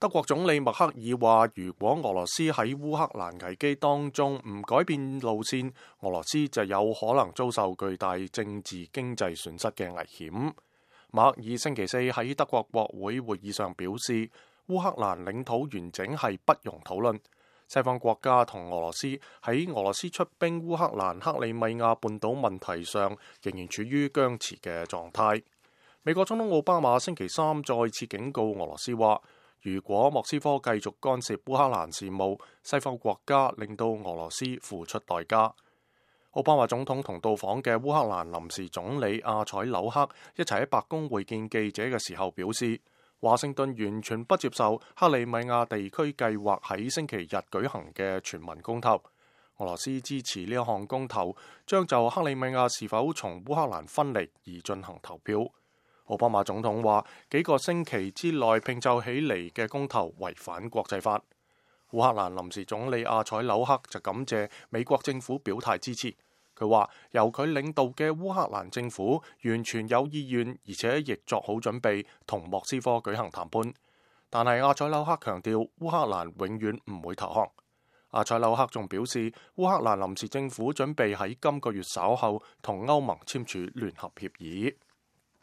德國總理默克爾話，如果俄羅斯喺烏克蘭危機當中唔改變路線，俄羅斯就有可能遭受巨大政治經濟損失嘅危險。默克爾星期四喺德國國會會議上表示，烏克蘭領土完整係不容討論。西方國家同俄羅斯喺俄羅斯出兵烏克蘭克里米亞半島問題上仍然處於僵持嘅狀態。美國總統奧巴馬星期三再次警告俄羅斯話，如果莫斯科繼續干涉烏克蘭事務，西方國家令到俄羅斯付出代價。奧巴馬總統同到訪嘅烏克蘭臨時總理阿采紐克一齊喺白宮會見記者嘅時候表示，華盛頓完全不接受克里米亞地區計劃喺星期日舉行嘅全民公投。俄羅斯支持呢一項公投，將就克里米亞是否從烏克蘭分離而進行投票。奧巴馬總統話，幾個星期之內拼湊起嚟嘅公投違反國際法。烏克蘭臨時總理阿采紐克就感謝美國政府表態支持。佢話，由佢領導嘅烏克蘭政府完全有意願，而且亦作好準備同莫斯科舉行談判。但係阿采紐克強調，烏克蘭永遠唔會投降。阿采紐克仲表示，烏克蘭臨時政府準備喺今個月稍後同歐盟簽署聯合協議。